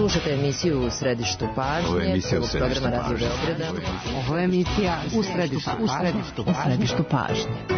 Slušajte emisiju U središtu pažnje, prvog programa Radio Beograda. Ovo je emisija U središtu pažnje.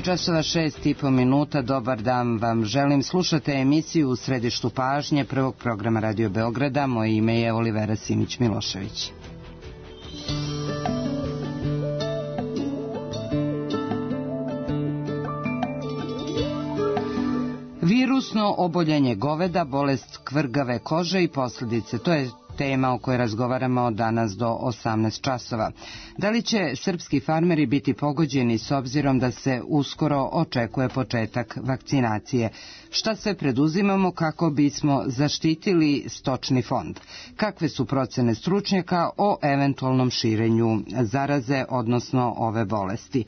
Časova 6:30, dobar dan vam želim. Slušate emisiju U središtu pažnje prvog programa Radio Beograda. Moje ime je Olivera Simić-Milošević. Virusno oboljenje goveda, bolest kvrgave kože i posljedice, to je tema o kojoj razgovaramo danas do 18 časova. Da li će srpski farmeri biti pogođeni s obzirom da se uskoro očekuje početak vakcinacije? Šta sve preduzimamo kako bismo zaštitili stočni fond? Kakve su procene stručnjaka o eventualnom širenju zaraze, odnosno ove bolesti?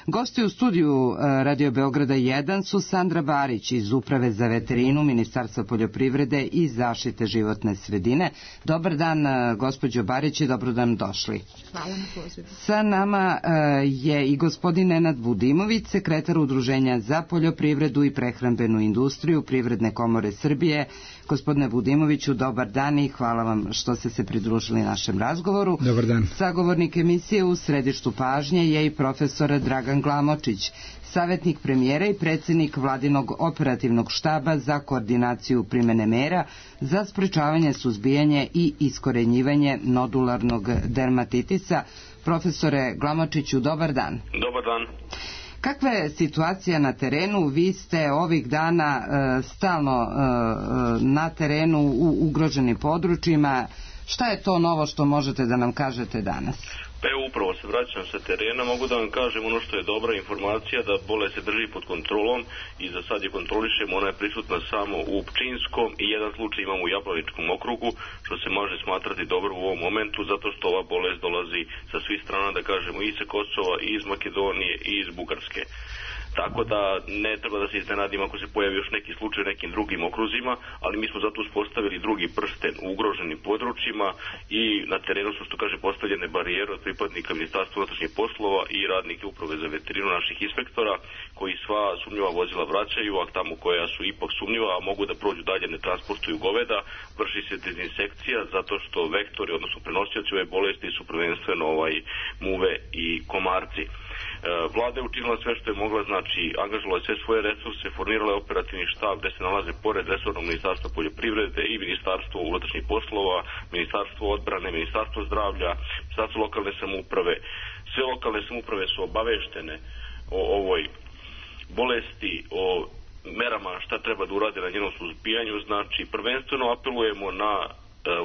Gosti u studiju Radio Beograda 1 su Sandra Barić iz Uprave za veterinu Ministarstva poljoprivrede i zaštite životne sredine. Dobar dan, gospođo Barić, i dobro dan došli. Hvala na pozivu. Sa nama je i gospodin Nenad Budimović, sekretar Udruženja za poljoprivredu i prehrambenu industriju Privredne komore Srbije. Gospodine Budimoviću, dobar dan i hvala vam što ste se pridružili našem razgovoru. Dobar dan. Sagovornik emisije U središtu pažnje je i profesor Dragan Glamočić, savjetnik premijera i predsjednik Vladinog operativnog štaba za koordinaciju primjene mera za sprečavanje, suzbijanje i iskorenjivanje nodularnog dermatitisa. Profesore Glamočiću, dobar dan. Dobar dan. Kakva je situacija na terenu? Vi ste ovih dana stalno na terenu u ugroženim područjima. Šta je to novo što možete da nam kažete danas? Pa evo, upravo se vraćam sa terena, mogu da vam kažem ono što je dobra informacija, da bolest se drži pod kontrolom i za sad je kontrolišemo, ona je prisutna samo u Pčinjskom i jedan slučaj imamo u Jablaničkom okrugu, što se može smatrati dobro u ovom momentu, zato što ova bolest dolazi sa svih strana, da kažemo, i sa Kosova, i iz Makedonije, i iz Bugarske. Tako da ne treba da se iznenadimo ako se pojavi još neki slučaj u nekim drugim okruzima, ali mi smo zato uspostavili drugi prsten u ugroženim područjima i na terenu su, što kaže, postavljene barijere od pripadnika Ministarstva unutrašnjih poslova i radnike Uprave za veterinu naših inspektora, koji sva sumnjiva vozila vraćaju, a tamo koja su ipak sumnjiva, a mogu da prođu dalje, ne transportuju goveda, vrši se dezinsekcija, zato što vektori, odnosno prenosioci ove bolesti su prvenstveno muve i komarci. Vlada je učinila sve što je mogla, znači angažovala je sve svoje resurse, formirala je operativni štab gde se nalaze pored resornog Ministarstva poljoprivrede i Ministarstvo unutrašnjih poslova, Ministarstvo odbrane, Ministarstvo zdravlja, Ministarstvo lokalne samouprave. Sve lokalne samouprave su obaveštene o ovoj bolesti, o merama šta treba da urade na njenom suzbijanju. Znači prvenstveno apelujemo na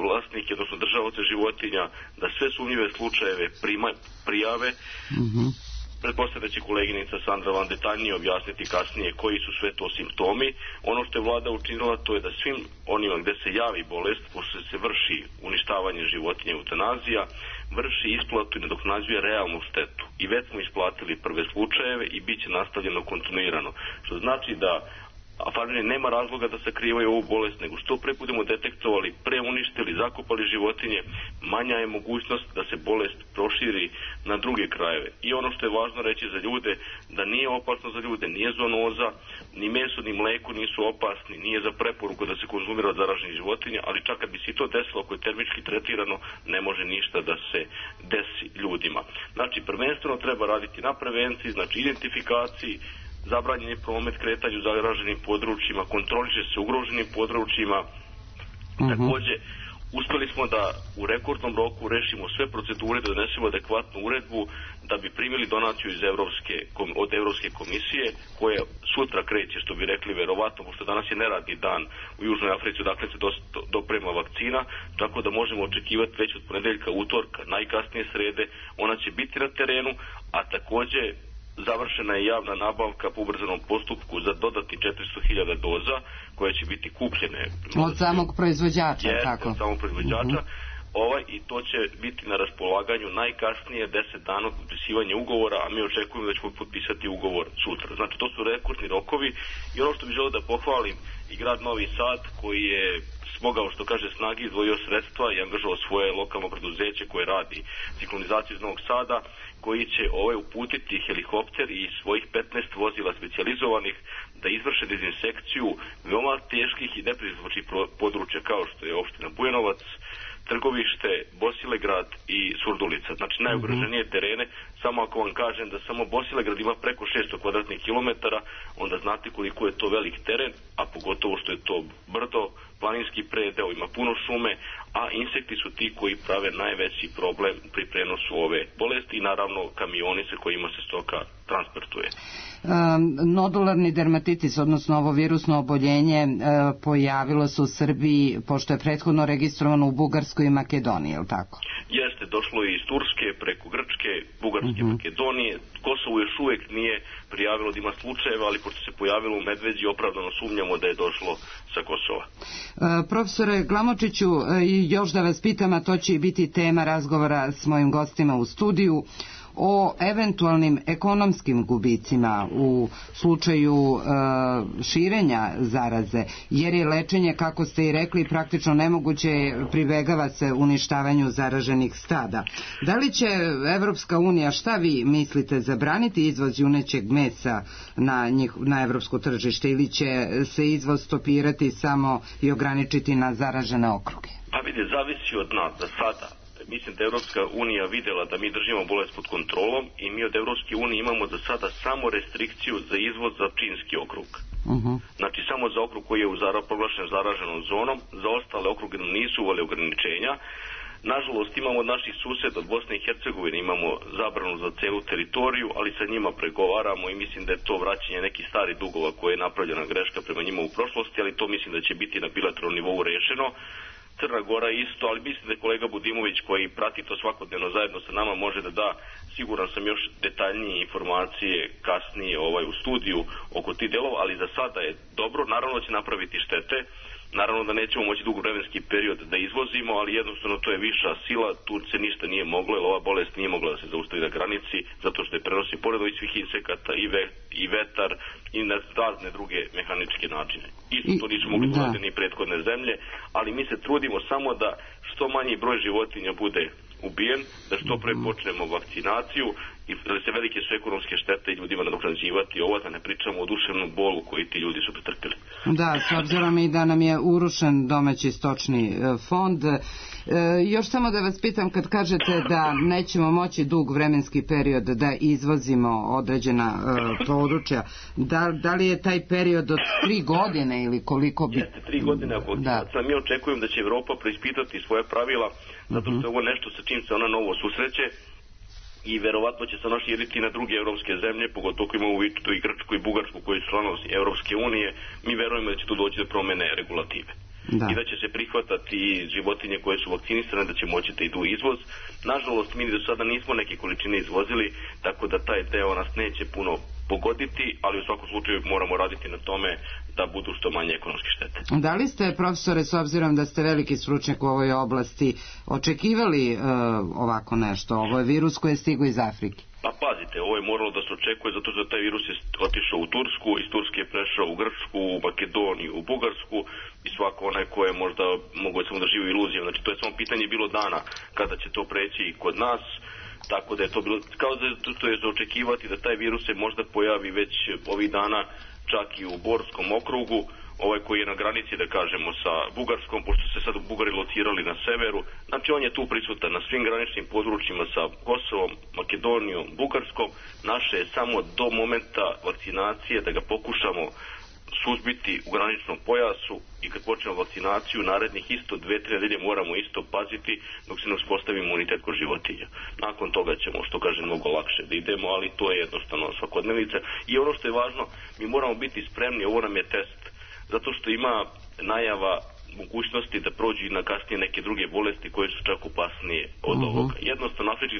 vlasnike, odnosno držaoce životinja, da sve sumnjive slučajeve prijave. Pretpostavljam da će koleginica Sandra vam detaljnije objasniti kasnije koji su sve to simptomi. Ono što je vlada učinila, to je da svim onima gde se javi bolest, pošto se vrši uništavanje životinja, eutanazija, vrši isplatu i nadoknađuje realnu štetu. I već smo isplatili prve slučajeve i bit će nastavljeno kontinuirano. Što znači da a farmeri nema razloga da sakrivaju ovu bolest, nego što pre budemo detektovali, preuništili, zakopali životinje, manja je mogućnost da se bolest proširi na druge krajeve. I ono što je važno reći za ljude, da nije opasno za ljude, nije zoonoza, ni meso, ni mleko nisu opasni, nije za preporuku da se konzumira od zaraženih životinja, ali čak kad bi se to desilo, ako je termički tretirano, ne može ništa da se desi ljudima. Znači, prvenstveno treba raditi na prevenciji, znači identifikaciji, zabranjen je promet kretanju u zaraženim područjima, kontroliše se ugroženim područjima. Takođe, uspeli smo da u rekordnom roku rešimo sve procedure, da donesemo adekvatnu uredbu, da bi primili donaciju od Evropske komisije, koja sutra kreće, što bi rekli verovatno, pošto danas je neradni dan u Južnoj Africi, dakle se doprema vakcina, tako da možemo očekivati već od ponedeljka, utorka, najkasnije srede, ona će biti na terenu, a takođe završena je javna nabavka po ubrzanom postupku za dodatni 400.000 doza koje će biti kupljene od samog proizvođača, tako? Od samog proizvođača. I to će biti na raspolaganju najkasnije 10 dana od potpisivanja ugovora, a mi očekujemo da ćemo potpisati ugovor sutra. Znači, to su rekordni rokovi i ono što bih želeo da pohvalim i grad Novi Sad, koji je smogao, što kaže, snagi, izdvojio sredstva i angažovao svoje lokalno preduzeće koje radi ciklonizaciju iz Novog Sada, koji će uputiti helikopter i svojih 15 vozila specijalizovanih da izvrše dezinsekciju veoma teških i nepristupačnih područja kao što je opština Bujanovac, Trgovište, Bosilegrad i Surdulica. Znači najugroženije terene. Samo ako vam kažem da samo Bosilegrad ima preko 600 kvadratnih kilometara, onda znate koliko je to velik teren, a pogotovo što je to brdo, planinski predeo, ima puno šume, a insekti su ti koji prave najveći problem pri prenosu ove bolesti i naravno kamioni sa kojima se stoka transportuje. Nodularni dermatitis, odnosno ovo virusno oboljenje, pojavilo se u Srbiji, pošto je prethodno registrovano u Bugarskoj i Makedoniji, je li tako? Jeste, došlo je iz Turske, preko Grčke, Bugarske, Makedonije. Kosovo još uvijek nije prijavilo da ima slučajeva, ali pošto se pojavilo u Medveđi, opravdano sumnjamo da je došlo sa Kosova. Profesore Glamočiću, još da vas pitam, a to će i biti tema razgovora s mojim gostima u studiju, o eventualnim ekonomskim gubicima u slučaju širenja zaraze, jer je lečenje, kako ste i rekli, praktično nemoguće, pribegava se uništavanju zaraženih stada. Da li će Evropska unija, šta vi mislite, zabraniti izvoz junećeg mesa na evropsko tržište ili će se izvoz stopirati samo i ograničiti na zaražene okruge? Pa vidi, zavisi od nas za sada. Mislim da je Evropska unija vidjela da mi držimo bolest pod kontrolom i mi od Evropske unije imamo za sada samo restrikciju za izvoz za Pčinjski okrug. Znači samo za okrug koji je proglašen zaraženom zonom, za ostale okruge nisu uveli ograničenja. Nažalost imamo od naših suseda od Bosne i Hercegovine, imamo zabranu za celu teritoriju, ali sa njima pregovaramo i mislim da je to vraćanje nekih starih dugova koje je napravljena greška prema njima u prošlosti, ali to mislim da će biti na bilateralnom nivou rešeno. Crna Gora isto, ali mislim da je kolega Budimović koji prati to svakodnevno zajedno sa nama može da da, siguran sam, još detaljnije informacije kasnije u studiju oko tih delova, ali za sada je dobro, naravno da će napraviti štete, naravno da nećemo moći dugo vremenski period da izvozimo, ali jednostavno to je viša sila, tu se ništa nije moglo, jer ova bolest nije mogla da se zaustavi na granici, zato što je prenosi pored ovih svih insekata i vetar i na razne druge mehaničke načine. Isto to nisu mogli da ni prethodne zemlje, ali mi se trudimo samo da što manji broj životinja bude ubijen, da što pre počnemo vakcinaciju i da se velike su ekonomske štete ljudima nadoknađivati ovo, da ne pričamo o duševnom bolu koji ti ljudi su pretrpili. Da, s obzirom i da nam je urušen domaći stočni fond. Još samo da vas pitam, kad kažete da nećemo moći dug vremenski period da izvozimo određena područja, da li je taj period od 3 godine ili koliko bi... Jeste, 3 godine, ako mi očekujem da će Evropa preispitati svoje pravila, zato što je ovo nešto sa čim se ona novo susreće i verovatno će se ona širiti na druge evropske zemlje, pogotovo ako imamo u vidu i Grčku i Bugarsku koji su članovi Evropske unije, mi verujemo da će tu doći do promene regulative. I da će se prihvatati životinje koje su vakcinisane, da će moći da idu izvoz. Nažalost, mi do sada nismo neke količine izvozili, tako da taj deo nas neće puno pogoditi, ali u svakom slučaju moramo raditi na tome da budu što manje ekonomske štete. Da li ste, profesore, s obzirom da ste veliki stručnjak u ovoj oblasti, očekivali ovako nešto? Ovo je virus koji je stigao iz Afrike. Pa pazite, ovo je moralo da se očekuje zato što taj virus je otišao u Tursku, iz Turske je prešao u Grčku, u Makedoniju, u Bugarsku i svako onaj ko je možda mogo samo da živi u iluzijama. Znači to je samo pitanje bilo dana kada će to preći i kod nas. Tako da je to bilo, kao da to je za očekivati da taj virus se možda pojavi već ovih dana čak i u Borskom okrugu, ovaj koji je na granici, da kažemo, sa Bugarskom, pošto se sad Bugari locirali na severu. Znači on je tu prisutan na svim graničnim područjima sa Kosovom, Makedonijom, Bugarskom. Naše je samo do momenta vakcinacije da ga pokušamo suzbiti u graničnom pojasu i kad počnemo vakcinaciju narednih isto 2-3 nedelje moramo isto paziti dok se ne uspostavi imunitet kod životinja. Nakon toga ćemo, što kažem, mnogo lakše da idemo, ali to je jednostavno svakodnevnica. I ono što je važno, mi moramo biti spremni, ovo nam je test, zato što ima najava mogućnosti da prođu i na kasnije neke druge bolesti koje su čak opasnije od ovoga. Jednostavno, afrički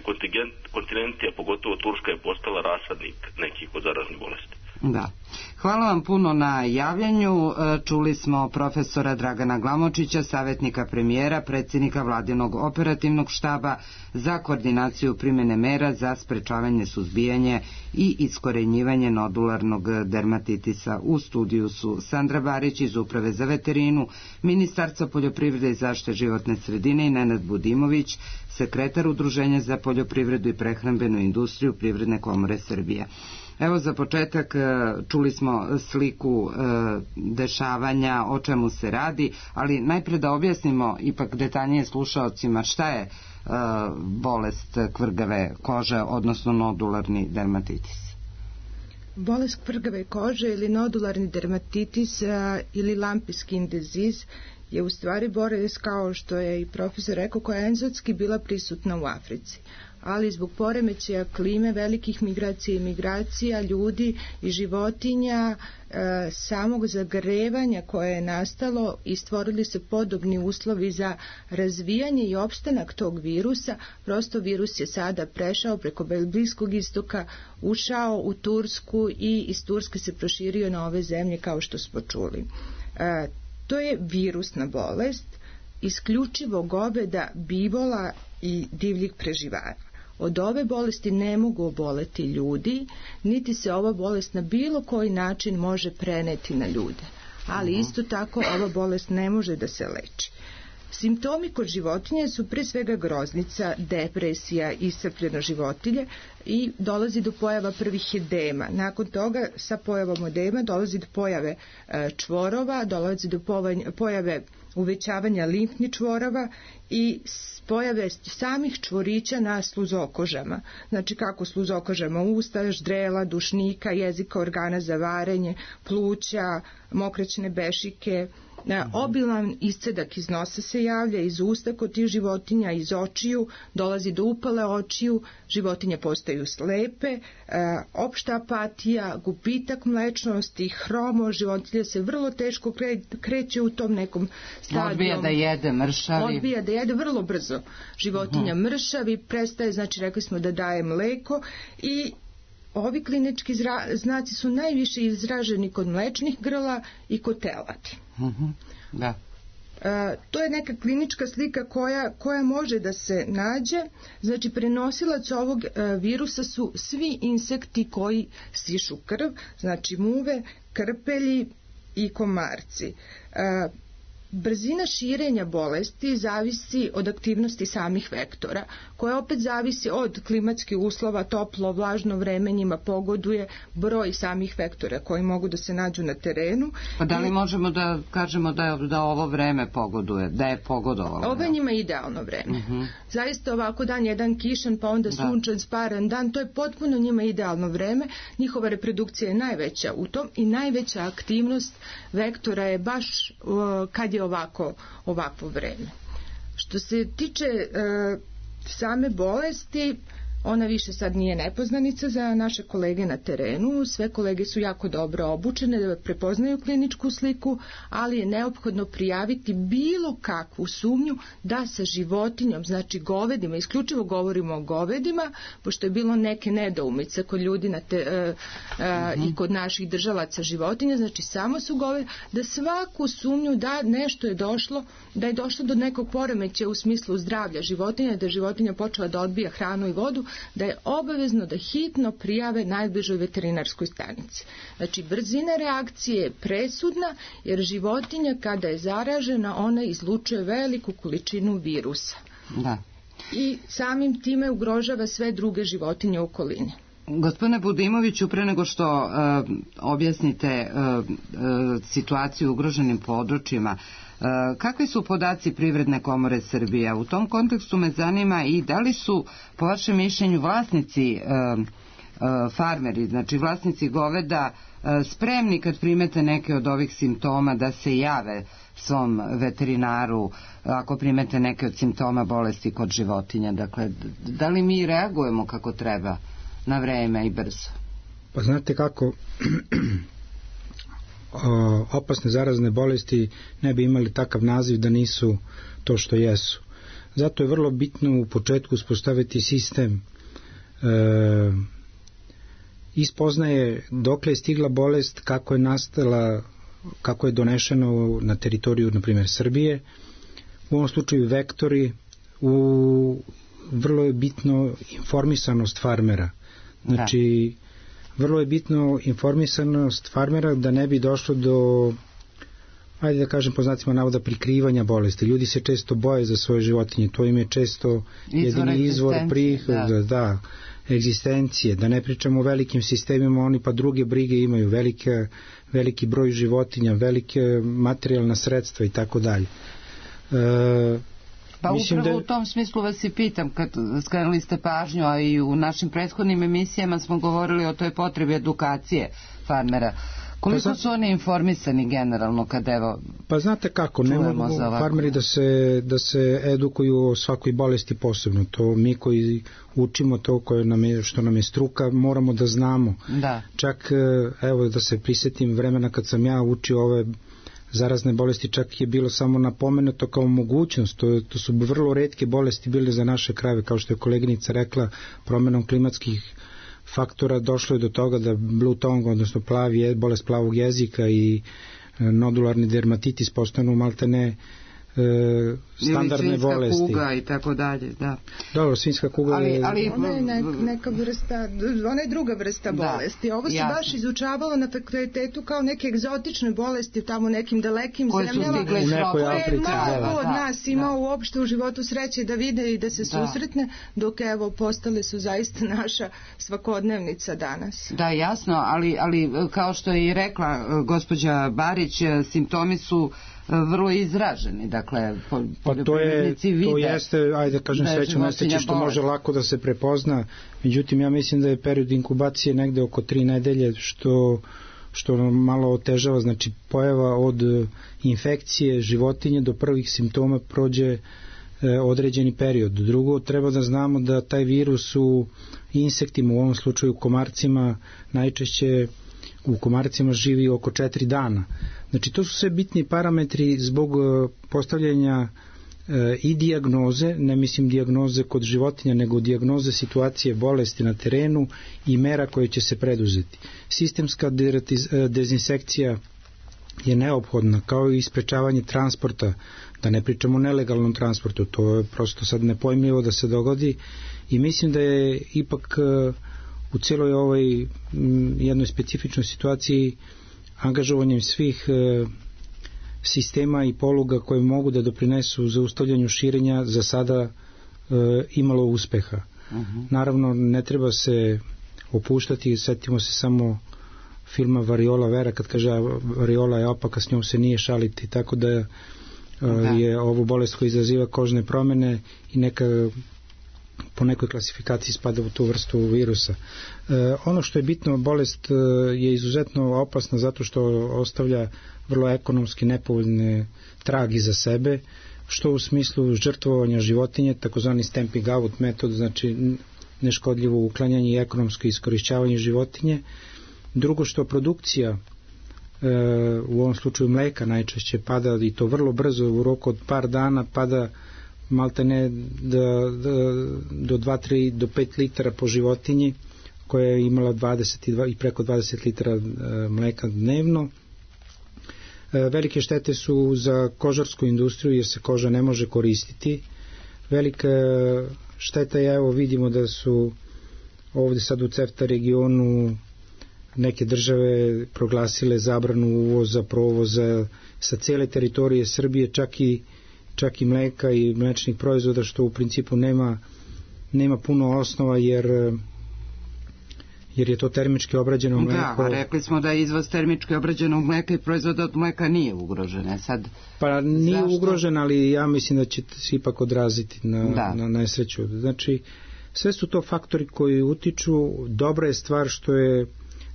kontinent, a pogotovo Turska, je postala rasadnik nekih od zaraznih bolesti. Da. Hvala vam puno na javljanju. Čuli smo profesora Dragana Glamočića, savjetnika premijera, predsjednika Vladinog operativnog štaba za koordinaciju primjene mera za sprečavanje, suzbijanje i iskorenjivanje nodularnog dermatitisa. U studiju su Sandra Barić iz Uprave za veterinu, Ministarstva poljoprivrede i zaštite životne sredine i Nenad Budimović, sekretar Udruženja za poljoprivredu i prehrambenu industriju Privredne komore Srbije. Evo za početak čuli smo sliku dešavanja, o čemu se radi, ali najpre da objasnimo ipak detaljnije slušaocima šta je bolest kvrgave kože, odnosno nodularni dermatitis. Bolest kvrgave kože ili nodularni dermatitis ili lumpy skin disease je u stvari bolest, kao što je i profesor rekao, koja je enzotski bila prisutna u Africi, ali zbog poremećaja klime, velikih migracija i migracija ljudi i životinja, samog zagrevanja koje je nastalo i stvorili se podobni uslovi za razvijanje i opstanak tog virusa. Prosto virus je sada prešao preko Bliskog istoka, ušao u Tursku i iz Turske se proširio na ove zemlje, kao što smo čuli. To je virusna bolest, isključivo goveda, bivola i divljih preživara. Od ove bolesti ne mogu oboleti ljudi, niti se ova bolest na bilo koji način može preneti na ljude. Ali isto tako ova bolest ne može da se leči. Simptomi kod životinje su pre svega groznica, depresija, iscrpljeno životinje i dolazi do pojava prvih edema. Nakon toga sa pojavom edema dolazi do pojave čvorova, dolazi do pojave uvećavanja limfnih čvorova i pojave samih čvorića na sluzokožama. Znači kako sluzokožama usta, ždrela, dušnika, jezika, organa za varenje, pluća, mokraćne bešike. Obilan iscedak iz nosa se javlja, iz usta kod tih životinja, iz očiju, dolazi do upale očiju, životinje postaju slepe, opšta apatija, gubitak mlečnosti, hromo, životinja se vrlo teško kreće u tom nekom stadiju. Odbija da jede, mršavi. Odbija da jede vrlo brzo. Životinja mršavi, prestaje, znači rekli smo da daje mleko i ovi klinički znaci su najviše izraženi kod mlečnih grla i kod teladi. Da. To je neka klinička slika koja može da se nađe. Znači prenosilac ovog virusa su svi insekti koji sišu krv, znači muve, krpelji i komarci. Brzina širenja bolesti zavisi od aktivnosti samih vektora, koja opet zavisi od klimatskih uslova, toplo, vlažno vreme njima pogoduje, broj samih vektora koji mogu da se nađu na terenu. Pa da li možemo da kažemo da ovo vreme pogoduje, da je pogodovalo? Ovo je njima idealno vreme. Zaista ovako dan jedan kišan, pa onda sunčan, sparan dan, to je potpuno njima idealno vreme. Njihova reprodukcija je najveća u tom i najveća aktivnost vektora je baš kad je ovakvo vreme. Što se tiče same bolesti, ona više sad nije nepoznanica za naše kolege na terenu. Sve kolege su jako dobro obučene da prepoznaju kliničku sliku, ali je neophodno prijaviti bilo kakvu sumnju da sa životinjom, znači govedima, isključivo govorimo o govedima, pošto je bilo neke nedoumice kod ljudi i kod naših držalaca životinja, znači samo su govedi, da svaku sumnju da nešto je došlo, da je došlo do nekog poremećaja u smislu zdravlja životinja, da je životinja počela da odbija hranu i vodu, da je obavezno da hitno prijave najbližoj veterinarskoj stanici. Znači, brzina reakcije je presudna, jer životinja kada je zaražena, ona izlučuje veliku količinu virusa. Da. I samim time ugrožava sve druge životinje u okolini. Gospodine Budimoviću, pre nego što objasnite situaciju u ugroženim područjima, kakvi su podaci Privredne komore Srbije? U tom kontekstu me zanima i da li su, po vašem mišljenju, vlasnici farmeri, znači vlasnici goveda, spremni kad primete neke od ovih simptoma da se jave svom veterinaru ako primete neke od simptoma bolesti kod životinja? Dakle, da li mi reagujemo kako treba na vreme i brzo? Pa znate kako, opasne zarazne bolesti ne bi imali takav naziv da nisu to što jesu. Zato je vrlo bitno u početku uspostaviti sistem ispoznaje dokle je stigla bolest, kako je nastala, kako je donešeno na teritoriju, na primjer, Srbije, u ovom slučaju vektori, vrlo je bitno informisanost farmera. Znači, vrlo je bitno informisanost farmera da ne bi došlo do, ajde da kažem po znacima navoda, prikrivanja bolesti. Ljudi se često boje za svoje životinje, to im je često jedini izvor prihoda, egzistencije, da ne pričamo o velikim sistemima, oni pa druge brige imaju, veliki broj životinja, velike materijalna sredstva i tako dalje. Pa upravo u tom smislu vas i pitam, kad skrenuli ste pažnju, a i u našim prethodnim emisijama smo govorili o toj potrebi edukacije farmera. Koliko su oni informisani generalno kad evo... Pa znate kako, ne mogu farmeri da se edukuju o svakoj bolesti posebno. To mi koji učimo to što nam je struka, moramo da znamo. Da. Čak, evo da se prisjetim vremena kad sam ja učio ove zarazne bolesti, čak je bilo samo napomenuto kao mogućnost. To su vrlo retke bolesti bile za naše krajeve, kao što je koleginica rekla, promenom klimatskih faktora došlo je do toga da blue tongue, odnosno bolest plavog jezika i nodularni dermatitis postanu maltene standardne bolesti. Ili svinjska kuga i tako dalje, da. Dobro, svinjska kuga ali ona je neka vrsta, ona je druga vrsta bolesti. Ovo se baš izučavalo na fakultetu kao neke egzotične bolesti tamo nekim dalekim zemljama, u nekoj Africi. Malo od nas imao uopšte u životu sreće da vide i da se susretne, dok evo postale su zaista naša svakodnevnica danas. Da, jasno, ali kao što je i rekla gospođa Barić, simptomi su vrlo izraženi, dakle poljoprivrednici vide. To jeste, ajde kažem, srećno nesreće što može lako da se prepozna, međutim ja mislim da je period inkubacije negde oko 3 nedelje, što malo otežava, znači pojava od infekcije životinje do prvih simptoma prođe određeni period. Drugo, treba da znamo da taj virus u insektima, u ovom slučaju komarcima, najčešće u komarcima živi oko 4 dana. Znači, to su sve bitni parametri zbog postavljanja i dijagnoze, ne mislim dijagnoze kod životinja, nego dijagnoze situacije bolesti na terenu i mera koje će se preduzeti. Sistemska dezinsekcija je neophodna, kao i sprečavanje transporta, da ne pričamo o nelegalnom transportu, to je prosto sad nepojmljivo da se dogodi i mislim da je ipak u cijeloj ovoj jednoj specifičnoj situaciji angažovanjem svih sistema i poluga koje mogu da doprinesu zaustavljanju širenja za sada imalo uspeha. Naravno, ne treba se opuštati, setimo se samo filma Variola Vera, kad kaže variola je opaka, s njom se nije šaliti, tako da je ovo bolest koja izaziva kožne promjene i neka po nekoj klasifikaciji spada u tu vrstu virusa. Ono što je bitno, bolest je izuzetno opasna zato što ostavlja vrlo ekonomski nepovoljne trag iza sebe, što u smislu žrtvovanja životinje, takozvani stamping out metod, znači neškodljivo uklanjanje i ekonomsko iskorišćavanje životinje. Drugo, što produkcija u ovom slučaju mleka najčešće pada, i to vrlo brzo, u roku od par dana pada maltene do 2-3 do 5 litara po životinji, koja je imala 22 i preko 20 litara mleka dnevno. Velike štete su za kožarsku industriju, jer se koža ne može koristiti. Velika šteta je, evo vidimo da su ovde sad u CEFTA regionu neke države proglasile zabranu uvoza, provoza sa cele teritorije Srbije, čak i mleka i mlečnih proizvoda, što u principu nema puno osnova, jer je to termički obrađeno mleko. Da, rekli smo da izvoz termički obrađenog mleka i proizvoda od mleka nije ugrožen. Sad, pa nije ugrožen, ali ja mislim da će se ipak odraziti na nesreću. Znači, sve su to faktori koji utiču. Dobra je stvar što je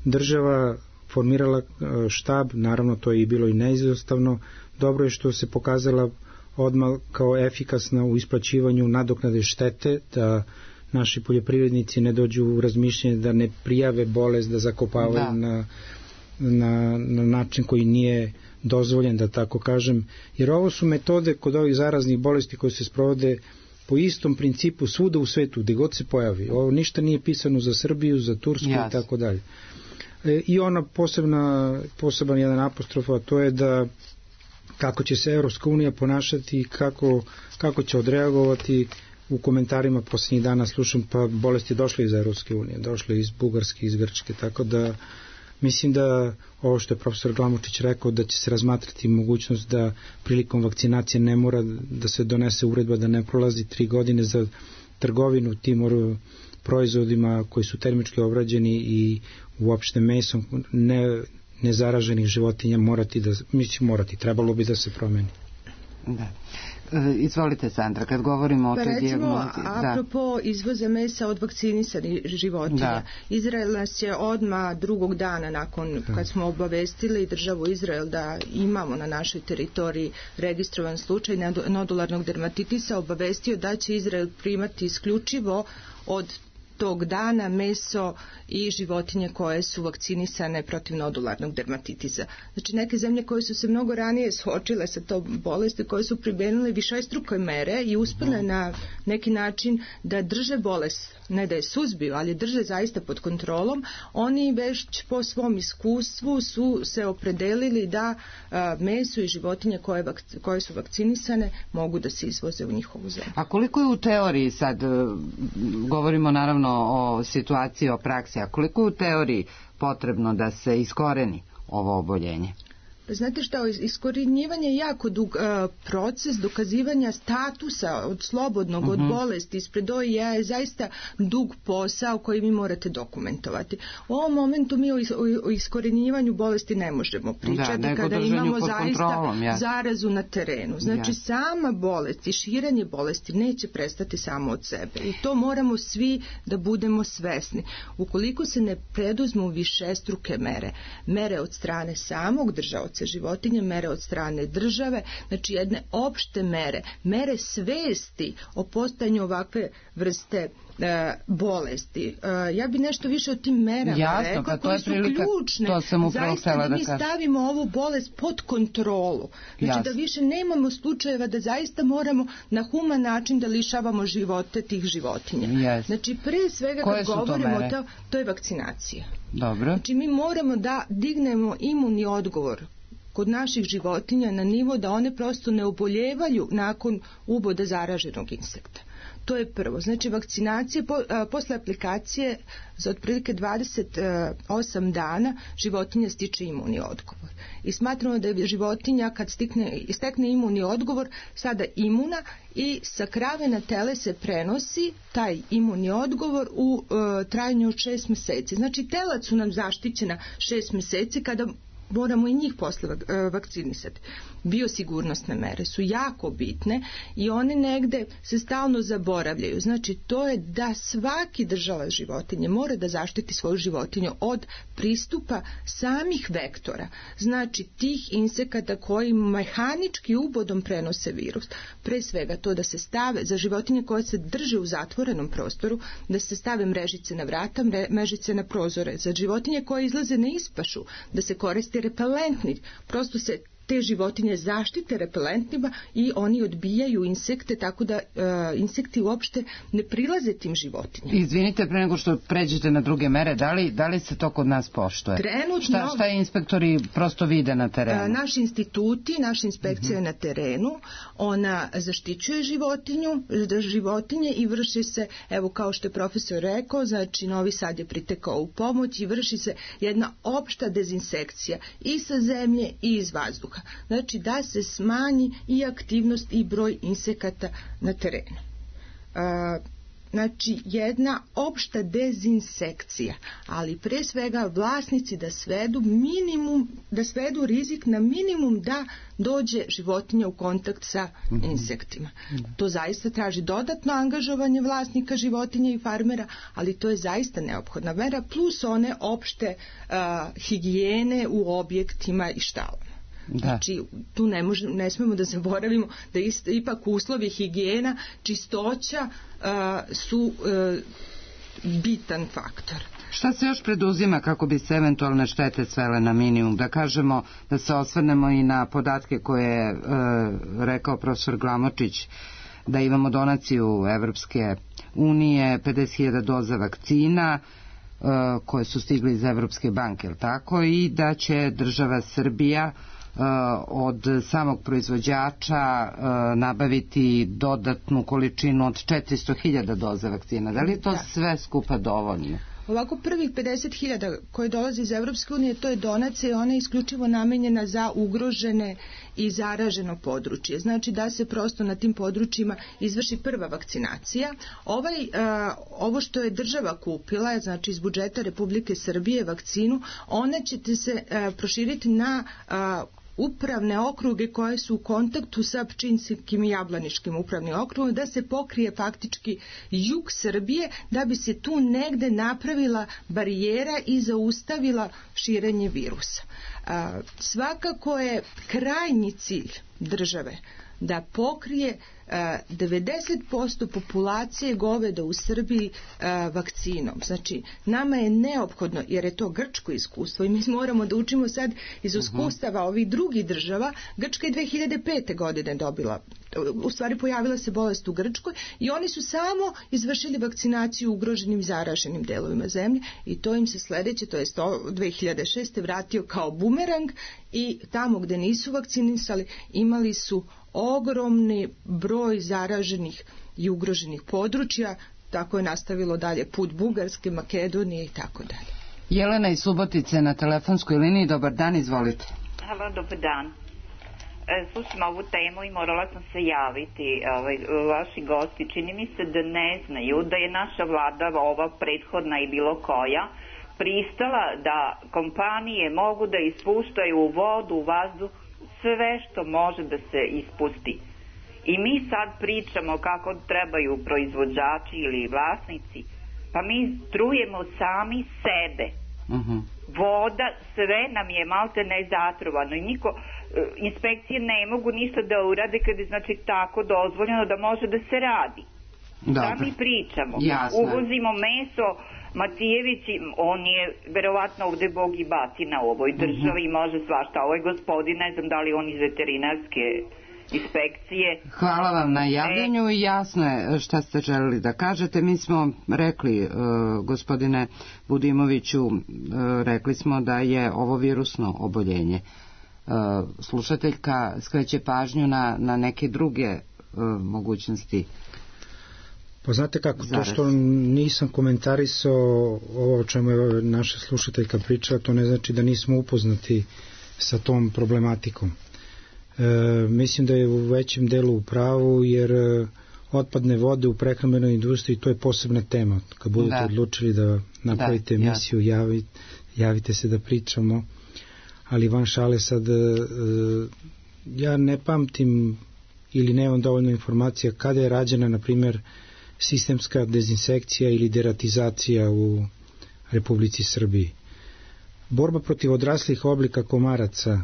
država formirala štab, naravno to je i bilo i neizostavno. Dobro je što se pokazala odmah kao efikasna u isplaćivanju nadoknade štete, da naši poljoprivrednici ne dođu u razmišljanje da ne prijave bolest, da zakopavaju na način koji nije dozvoljen, da tako kažem. Jer ovo su metode kod ovih zaraznih bolesti koje se sprovode po istom principu svuda u svetu, gde god se pojavi. Ovo ništa nije pisano za Srbiju, za Tursku i tako dalje. I ona poseban jedan apostrof, a to je da kako će se Evropska unija ponašati i kako će odreagovati. U komentarima posljednjih dana slušam, pa bolest je došla iz Evropske unije, došla iz Bugarske, iz Grčke, tako da mislim da ovo što je profesor Glamočić rekao, da će se razmatrati mogućnost da prilikom vakcinacije ne mora da se donese uredba da ne prolazi 3 godine za trgovinu tim proizvodima koji su termički obrađeni i uopšte mesom nezaraženih životinja trebalo bi da se promeni. Da. Izvolite, Sandra, kad govorimo o toj dijagnozi. Apropo izvoza mesa od vakcinisanih životinja, Izrael nas je odmah drugog dana nakon kad smo obavestili državu Izrael da imamo na našoj teritoriji registrovan slučaj nodularnog dermatitisa, obavestio da će Izrael primati isključivo od tog dana meso i životinje koje su vakcinisane protiv nodularnog dermatitisa. Znači neke zemlje koje su se mnogo ranije suočile sa tom bolesti, koje su primenile višestruke mere i uspjele na neki način da drže bolest, ne da je suzbiju, ali drže zaista pod kontrolom, oni već po svom iskustvu su se opredelili da meso i životinje koje su vakcinisane mogu da se izvoze u njihovu zemlju. A koliko je u teoriji, sad govorimo naravno o situaciji, o praksi, a koliko je u teoriji potrebno da se iskoreni ovo oboljenje? Znate šta, iskorjenjivanje je jako dug proces dokazivanja statusa od slobodnog, od bolesti ispred OIE je zaista dug posao koji vi morate dokumentovati. U ovom momentu mi o iskorjenjivanju bolesti ne možemo pričati kada imamo zaista zarazu na terenu. Znači sama bolest i širenje bolesti neće prestati samo od sebe i to moramo svi da budemo svesni. Ukoliko se ne preduzmu višestruke mere od strane samog držaoca životinje, mere od strane države, znači jedne opšte mere svesti o postojanju ovakve vrste bolesti. Ja bi nešto više o tim merama rekla, koje su ključne zaista da mi stavimo ovu bolest pod kontrolu. Znači da više nemamo slučajeva da zaista moramo na human način da lišavamo živote tih životinja. Znači pre svega kad govorimo to je vakcinacija. Dobro. Znači mi moramo da dignemo imunni odgovor kod naših životinja na nivo da one prosto ne oboljevaju nakon uboda zaraženog insekta. To je prvo. Znači vakcinacija posle aplikacije za otprilike 28 dana životinja stiče imunni odgovor. I smatramo da je životinja kad stekne imunni odgovor sada imuna i sa krave na tele se prenosi taj imunni odgovor u trajanju od 6 meseci. Znači telac su nam zaštićena 6 meseci kada moramo i njih posle vakcinisati. Biosigurnosne mere su jako bitne i one negde se stalno zaboravljaju. Znači to je da svaki držalac životinje mora da zaštiti svoju životinju od pristupa samih vektora. Znači tih insekata koji mehanički ubodom prenose virus. Pre svega to da se stave za životinje koje se drže u zatvorenom prostoru, da se stave mrežice na vrata, mrežice na prozore. Za životinje koje izlaze na ispašu, da se koriste repelentni, prosto se te životinje zaštite repelentnima i oni odbijaju insekte, tako da insekti uopšte ne prilaze tim životinjama. Izvinite, pre nego što pređete na druge mere, da li se to kod nas poštuje? Trenutno, šta inspektori prosto vide na terenu? Naši instituti, naša inspekcija je na terenu, ona zaštićuje životinje i vrši se, evo kao što je profesor rekao, znači Novi Sad je pritekao u pomoć i vrši se jedna opšta dezinsekcija i sa zemlje i iz vazduha. Znači da se smanji i aktivnost i broj insekata na terenu. Znači jedna opšta dezinsekcija, ali pre svega vlasnici da svedu rizik na minimum da dođe životinja u kontakt sa insektima. To zaista traži dodatno angažovanje vlasnika životinja i farmera, ali to je zaista neophodna mera, plus one opšte higijene u objektima i štalama. Znači, tu ne smemo da zaboravimo da ipak uslovi higijena, čistoća su bitan faktor. Šta se još preduzima kako bi se eventualne štete svele na minimum? Da kažemo, da se osvrnemo i na podatke koje je rekao profesor Glamočić, da imamo donaciju Evropske unije, 50.000 doza vakcina koje su stigli iz Evropske banke, tako, i da će država Srbija od samog proizvođača nabaviti dodatnu količinu od 400.000 doza vakcina. Da li je to sve skupa dovoljno? Ovako prvih 50.000 koje dolaze iz Evropske unije, to je donacija i ona je isključivo namenjena za ugrožene i zaraženo područje. Znači da se prosto na tim područjima izvrši prva vakcinacija. Ovo što je država kupila, znači iz budžeta Republike Srbije vakcinu, ona će se proširiti na upravne okruge koje su u kontaktu sa Pčinjskim i Jablaničkim upravnim okrugom, da se pokrije faktički jug Srbije, da bi se tu negde napravila barijera i zaustavila širenje virusa. Svakako je krajnji cilj države da pokrije 90% populacije goveda u Srbiji vakcinom. Znači, nama je neophodno, jer je to grčko iskustvo i mi moramo da učimo sad iz iskustava ovih drugih država. Grčka je 2005. godine dobila, u stvari pojavila se bolest u Grčkoj i oni su samo izvršili vakcinaciju u ugroženim zaraženim delovima zemlje i to im se sledeće, to je 2006. vratio kao bumerang i tamo gde nisu vakcinisali imali su ogromni broj zaraženih i ugroženih područja, tako je nastavilo dalje put Bugarske, Makedonije i tako dalje. Jelena iz Subotice na telefonskoj liniji, dobar dan, izvolite. Halo, dobar dan. Slušam ovu temu i morala sam se javiti. Vaši gosti, čini mi se da ne znaju da je naša vlada, ova prethodna i bilo koja, pristala da kompanije mogu da ispuštaju u vodu, u vazduh, sve što može da se ispusti. I mi sad pričamo kako trebaju proizvođači ili vlasnici, pa mi trujemo sami sebe. Voda, sve nam je malte ne zatrovano i inspekcije ne mogu ništa da urade kad je znači tako dozvoljeno da može da se radi. Šta mi pričamo? Jasno. Uvozimo meso, Matijević, on je verovatno ovde bog i batina u ovoj državi i može svašta. Ovo je gospodin, ne znam da li on iz veterinarske inspekcije. Hvala vam na javljanju i jasno je šta ste želeli da kažete. Mi smo rekli, gospodine Budimoviću, rekli smo da je ovo virusno oboljenje. Slušateljka skreće pažnju na neke druge mogućnosti. Pa znate kako, to što nisam komentarisao ovo o čemu je naša slušateljka pričala, to ne znači da nismo upoznati sa tom problematikom. Mislim da je u većem delu u pravu, jer otpadne vode u prehrambenoj industriji, to je posebna tema. Kad budete odlučili da napravite emisiju, javite se da pričamo, ali van šale sad, ja ne pamtim ili nemam dovoljno informacija kada je rađena, na primjer, sistemska dezinsekcija ili deratizacija u Republici Srbiji. Borba protiv odraslih oblika komaraca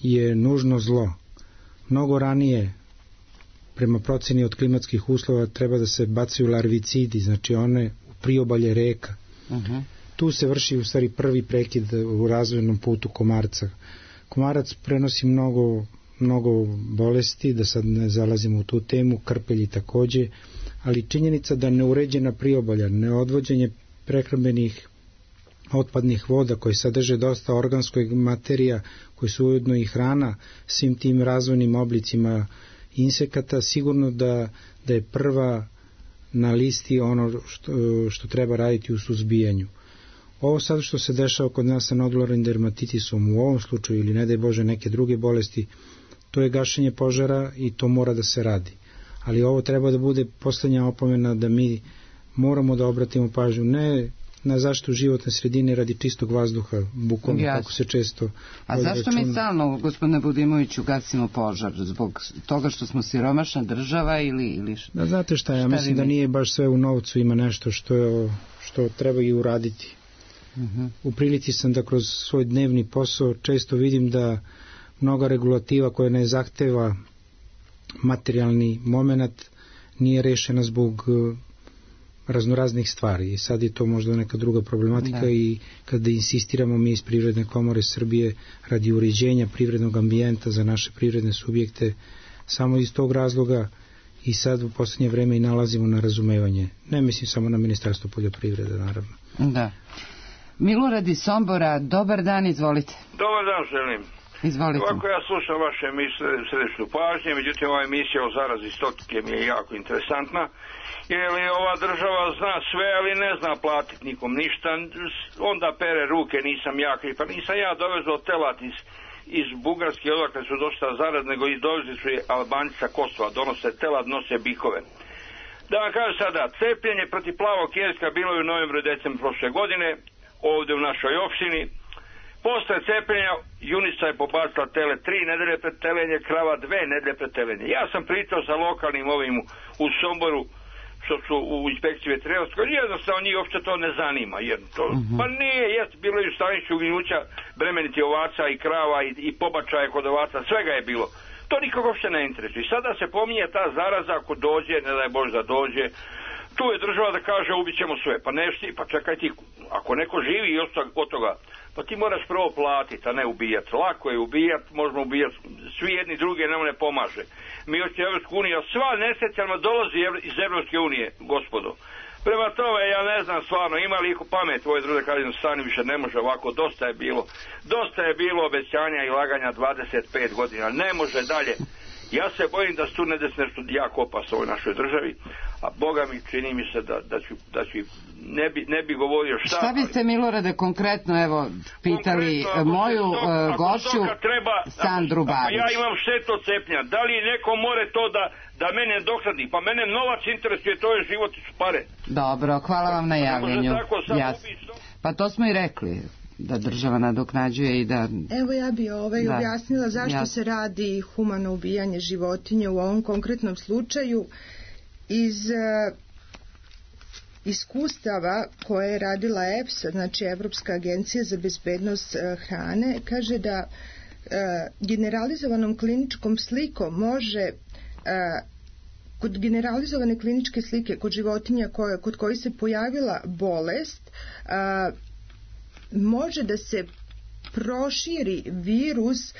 je nužno zlo. Mnogo ranije, prema proceni od klimatskih uslova, treba da se bacaju larvicidi, znači one u priobalje reka. Tu se vrši u stvari prvi prekid u razvojnom putu komarca. Komarac prenosi mnogo bolesti, da sad ne zalazimo u tu temu, krpelji takođe, ali činjenica da neuređena priobalja, neodvođenje prehrambenih otpadnih voda koji sadrže dosta organskog materija, koji su ujedno i hrana svim tim razvojnim oblicima insekata, sigurno da je prva na listi ono što treba raditi u suzbijanju. Ovo sad što se dešava kod nas sa nodularnim dermatitisom u ovom slučaju ili ne daj Bože neke druge bolesti, to je gašenje požara i to mora da se radi. Ali ovo treba da bude poslednja opomena da mi moramo da obratimo pažnju ne na zaštitu životne sredine radi čistog vazduha, bukvalno kako se često... A zašto mi stalno, gospodine Budimoviću, gasimo požar? Zbog toga što smo siromašna država ili da, znate šta, ja mislim da nije baš sve u novcu, ima nešto što treba i uraditi. U prilici sam da kroz svoj dnevni posao često vidim da mnoga regulativa koja ne zahteva materijalni moment nije rešena zbog raznoraznih stvari i sad je to možda neka druga problematika i kada insistiramo mi iz Privredne komore Srbije radi uređenja privrednog ambijenta za naše privredne subjekte, samo iz tog razloga i sad u poslednje vreme i nalazimo na razumevanje. Ne mislim samo na Ministarstvo poljoprivrede, naravno. Da. Milorad iz Sombora, dobar dan, izvolite. Dobar dan, želim. Izvolite. Ovako ja slušam vaše središnju pažnje, međutim ova emisija o zarazi stotke mi je jako interesantna, jer ova država zna sve, ali ne zna platiti nikom ništa, onda pere ruke, nisam ja kriv, pa nisam ja dovezao telat iz Bugarske, odakle su došla zaraz, nego i dovezli su je Albanci sa Kosova, donose telat, nose bikove. Da vam kažem sada, cepljenje protiv plavog jeska bilo je u novembru i decembru prošle godine, ovdje u našoj opštini. Posle cepljenja junica je pobacila tele 3 nedelje pred telenje, krava 2 nedelje pred telenje. Ja sam pričao sa lokalnim ovim u Somboru, što su u inspekciji veterinarskoj, jednostavno njih uopšte to ne zanima. Pa nije, bilo je u stanišću uginjuća bremeniti ovaca i krava i pobačaje kod ovaca, svega je bilo. To nikog uopšte ne interesuje. I sada se pominje ta zaraza ako dođe, ne daj Bože da dođe, tu je država da kaže ubit ćemo sve. Pa nešti, pa čekaj ti, ako neko živi od toga, pa ti moraš prvo platiti, a ne ubijati. Lako je ubijati, možemo ubijati, svi jedni drugi nam ne pomaže. Mi hoćemo Evropsku uniju, a sva nesrećama dolazi iz Evropske unije, gospodo. Prema tome, ja ne znam stvarno, ima li iko pamet, ovo je druge kažem, stani više ne može ovako, dosta je bilo obećanja i laganja 25 godina, ne može dalje. Ja se bojim da se tu ne desi nešto jako opasno u ovoj našoj državi, a Boga mi čini mi se da ću ne bi govorio šta. Šta biste, Milorade, konkretno pitali moju gošću Sandru Babić? Ja imam štetu od cepljenja, da li neko more to da mene dohrani, pa mene novac interesuje, to je život i su pare. Dobro, hvala vam na javljanju. Pa to smo i rekli, da država nadoknađuje i da... Evo ja bi objasnila zašto se radi humano ubijanje životinje u ovom konkretnom slučaju. Iz iskustava koje je radila EFSA, znači Evropska agencija za bezbednost hrane, kaže da generalizovanom kliničkom slikom može kod generalizovane kliničke slike kod životinja kod kojih se pojavila bolest može da se proširi virus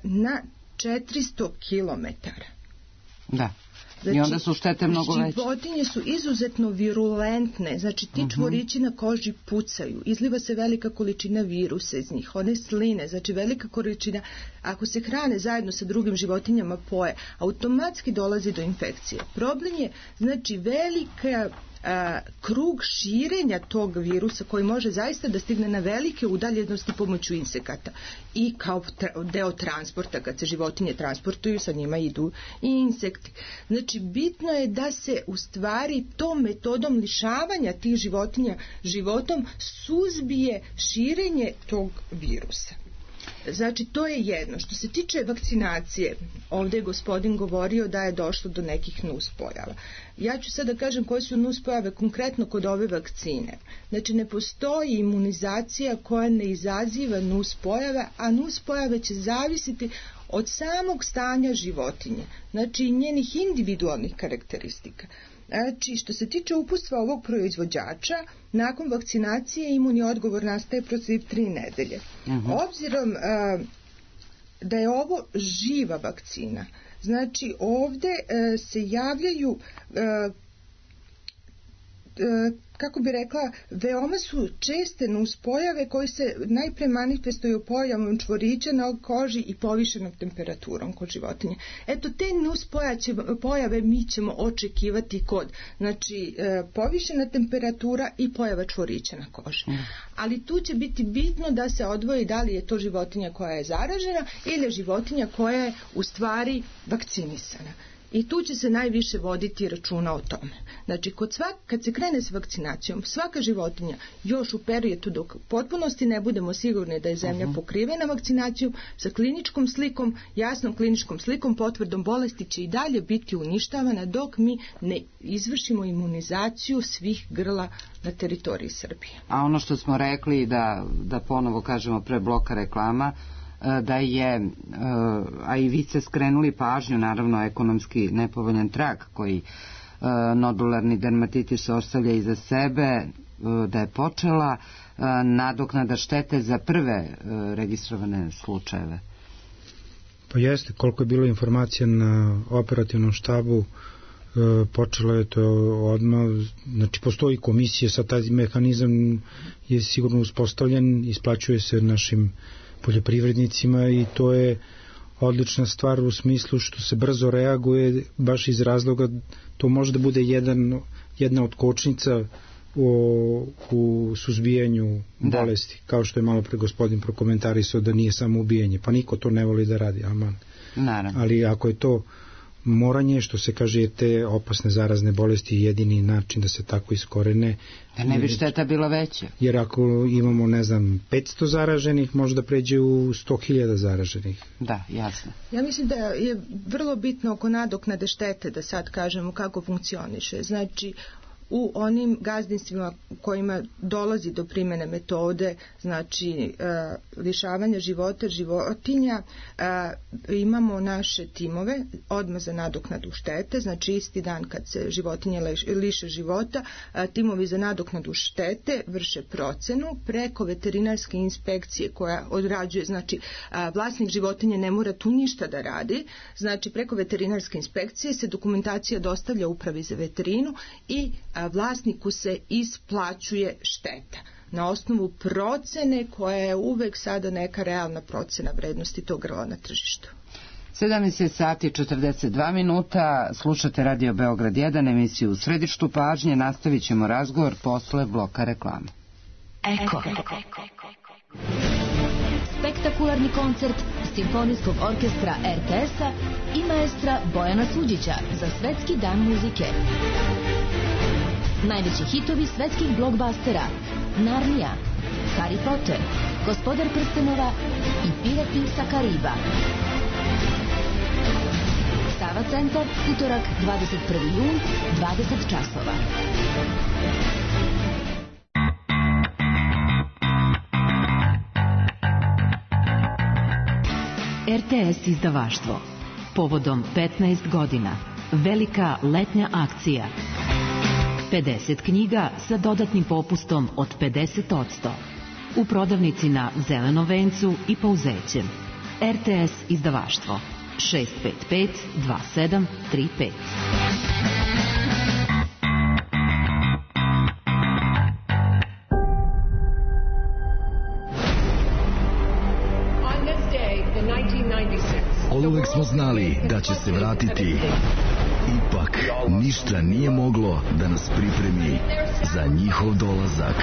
na 400 kilometara. Da. Znači, i onda su štete mnogo veće. Životinje su izuzetno virulentne, znači ti čvorići na koži pucaju, izliva se velika količina virusa iz njih, one sline, znači velika količina, ako se hrane zajedno sa drugim životinjama poje, automatski dolazi do infekcije. Problem je, znači, velika krug širenja tog virusa koji može zaista da stigne na velike udaljenosti pomoću insekata i kao deo transporta, kad se životinje transportuju, sa njima idu i insekti. Znači, bitno je da se u stvari tom metodom lišavanja tih životinja životom suzbije širenje tog virusa. Znači, to je jedno. Što se tiče vakcinacije, ovdje je gospodin govorio da je došlo do nekih nuspojava. Ja ću sada da kažem koje su nuspojave konkretno kod ove vakcine. Znači, ne postoji imunizacija koja ne izaziva nuspojave, a nuspojave će zavisiti od samog stanja životinje, znači njenih individualnih karakteristika. Znači, što se tiče uputstva ovog proizvođača, nakon vakcinacije imunni odgovor nastaje protiv 3 nedelje. Obzirom da je ovo živa vakcina. Znači ovde se javljaju kako bi rekla, veoma su česte nuspojave koje se najpre manifestuju pojavom čvorića na koži i povišenom temperaturom kod životinje. Eto, te nuspojave mi ćemo očekivati kod, znači, povišena temperatura i pojava čvorića na koži. Ali tu će biti bitno da se odvoji da li je to životinja koja je zaražena ili je životinja koja je u stvari vakcinisana. I tu će se najviše voditi računa o tome. Znači, kad se krene s vakcinacijom, svaka životinja još u periodu dok potpunosti ne budemo sigurni da je zemlja pokrivena vakcinacijom, sa kliničkom slikom, jasnom kliničkom slikom, potvrdom bolesti će i dalje biti uništavana dok mi ne izvršimo imunizaciju svih grla na teritoriji Srbije. A ono što smo rekli, da ponovo kažemo pre bloka reklama, da je, a i vi ste skrenuli pažnju, naravno ekonomski nepovoljan trag koji nodularni dermatitis ostavlja iza sebe, da je počela nadoknada štete za prve registrovane slučajeve. Pa jeste, koliko je bilo informacija na operativnom štabu, počelo je to odmah, znači postoji komisija, sad taj mehanizam je sigurno uspostavljen, isplaćuje se našim poljoprivrednicima i to je odlična stvar u smislu što se brzo reaguje, baš iz razloga to može da bude jedna od kočnica u suzbijanju bolesti, kao što je malo pre gospodin prokomentarisao da nije samo ubijanje, pa niko to ne voli da radi, aman. Naravno. Ali ako je to moranje, što se kaže, je te opasne zarazne bolesti jedini način da se tako iskorene. Da ne bi šteta bila veća. Jer ako imamo, 500 zaraženih, može da pređe u 100.000 zaraženih. Da, jasno. Ja mislim da je vrlo bitno oko nadoknade štete, da sad kažemo kako funkcioniše. Znači, u onim gazdinstvima u kojima dolazi do primjene metode, znači lišavanja života životinja, imamo naše timove odmah za nadoknadu štete, znači isti dan kad se životinje liše života, timovi za nadoknadu štete vrše procenu preko veterinarske inspekcije koja odrađuje, znači vlasnik životinje ne mora tu ništa da radi, znači preko veterinarske inspekcije se dokumentacija dostavlja upravi za veterinu i vlasniku se isplaćuje šteta na osnovu procene koja je uvek sada neka realna procena vrednosti tog grla na tržištu. 17 sati 42 minuta, slušate Radio Beograd 1, emisiju U središtu pažnje, nastavit ćemo razgovor posle bloka reklama. Eko. Spektakularni koncert Simfonijskog orkestra RTS-a i maestra Bojana Suđića za Svetski dan muzike. Najveći hitovi svetskih blockbustera: Narnija, Harry Potter, Gospodar prstenova i Pirati sa Kariba. Sava centar, utorak 21. jun, 20 časova. RTS izdavaštvo. Povodom 15 godina. Velika letnja akcija. 50 knjiga sa dodatnim popustom od 50%. U prodavnici na Zelenom vencu i Pauzećem. RTS izdavaštvo. 655 2735. Oduvek smo znali da će se vratiti. Ipak, ništa nije moglo da nas pripremi za njihov dolazak.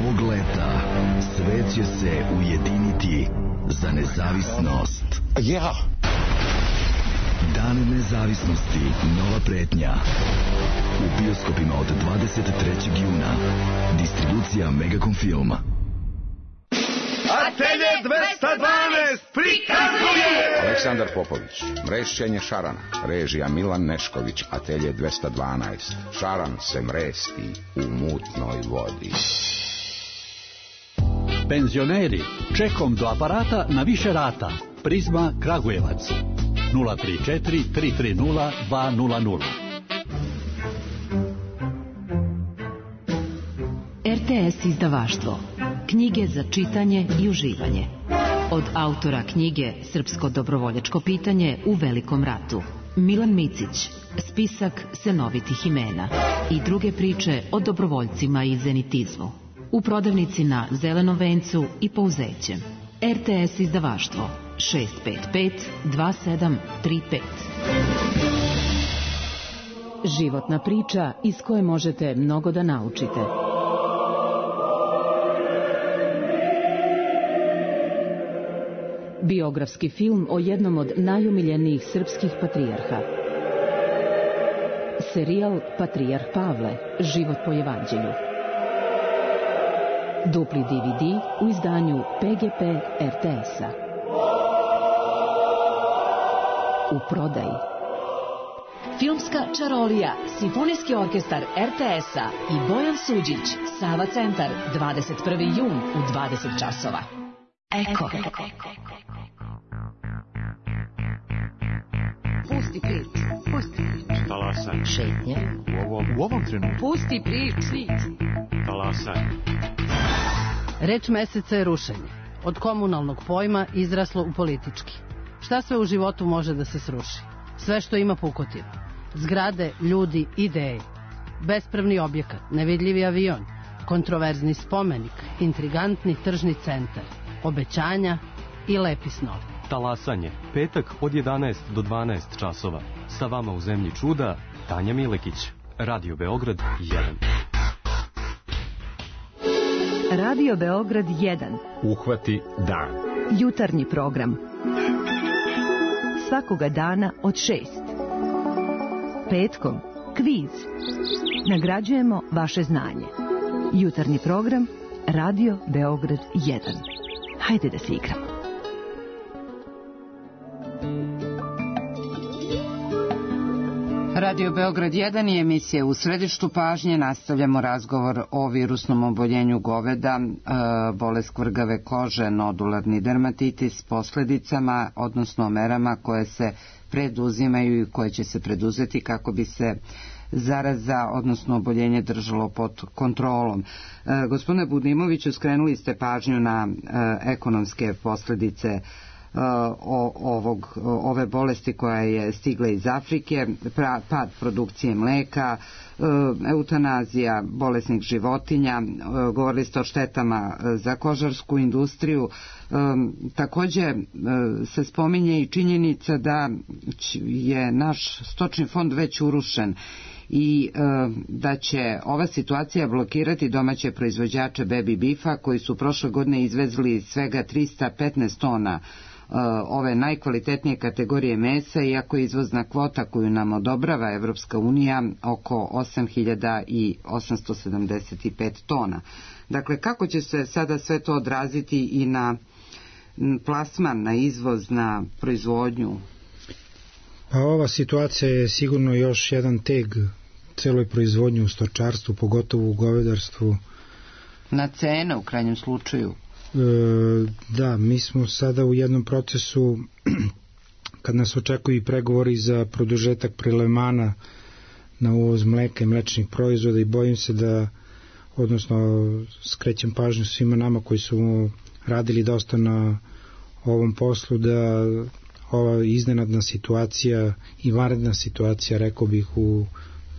Ovog leta svet će se ujediniti za nezavisnost. Dan nezavisnosti, nova pretnja. U bioskopima od 23. juna. Distribucija Megacom Filma. Atelje 212 prikazuje Aleksandar Popović, mrešćenje šarana, režija Milan Nešković. Atelje 212, šaran se mresti u mutnoj vodi. Penzioneri, čekom do aparata na više rata. Prizma Kragujevac 034 330 200. RTS izdavaštvo. Knjige za čitanje i uživanje. Od autora knjige Srpsko dobrovoljačko pitanje u Velikom ratu, Milan Micić, spisak senovitih imena i druge priče o dobrovoljcima i zenitizmu. U prodavnici na Zelenom vencu i Pouzećem. RTS izdavaštvo 655 2735. Životna priča iz koje možete mnogo da naučite. Biografski film o jednom od najumiljenijih srpskih patrijarha. Serijal Patrijarh Pavle, život po evanđelju. Dupli DVD u izdanju PGP RTS-a. U prodaji. Filmska čarolija, Simfonijski orkestar RTS-a i Bojan Suđić, Sava centar, 21. jun u 20 časova. Eko. Pusti prič, pusti prič. Talasaj. Šetnje. U ovom trenutku. Pusti prič. Talasaj. Reč meseca je rušenje. Od komunalnog pojma izraslo u politički. Šta sve u životu može da se sruši? Sve što ima pukotinu. Zgrade, ljudi, ideje. Bespravni objekat, nevidljivi avion, kontroverzni spomenik, intrigantni tržni centar, obećanja i lepi snovi. Talasanje. Petak od 11 do 12 časova. Sa vama u zemlji čuda, Tanja Milekić. Radio Beograd 1. Radio Beograd 1. Uhvati dan. Jutarnji program. Svakoga dana od 6. Petkom kviz. Nagrađujemo vaše znanje. Jutarnji program Radio Beograd 1. Hajde da se igramo. Radio Beograd 1 je emisija u središtu pažnje. Nastavljamo razgovor o virusnom oboljenju goveda, bolest kvrgave kože, nodularni dermatitis, posledicama, odnosno merama koje se preduzimaju i koje će se preduzeti kako bi se zaraza, odnosno oboljenje držalo pod kontrolom. Gospodine Budimoviću, skrenuli ste pažnju na ekonomske posledice ove bolesti koja je stigla iz Afrike, pad produkcije mleka, eutanazija bolesnih životinja, govorili ste o štetama za kožarsku industriju. Takođe se spominje i činjenica da je naš stočni fond već urušen i da će ova situacija blokirati domaće proizvođače baby beefa koji su prošle godine izvezli svega 315 tona ove najkvalitetnije kategorije mesa, iako je izvozna kvota koju nam odobrava Evropska unija oko 8.875 tona. Dakle, kako će se sada sve to odraziti i na plasman, na izvoz, na proizvodnju? Pa ova situacija je sigurno još jedan teg celoj proizvodnji u stočarstvu, pogotovo u govedarstvu. Na cene u krajnjem slučaju. Da, mi smo sada u jednom procesu kad nas očekuju i pregovori za produžetak prelevmana na uvoz mleka i mlečnih proizvoda i bojim se da, odnosno skrećem pažnju svima nama koji su radili dosta na ovom poslu, da ova iznenadna situacija i vanredna situacija, rekao bih, u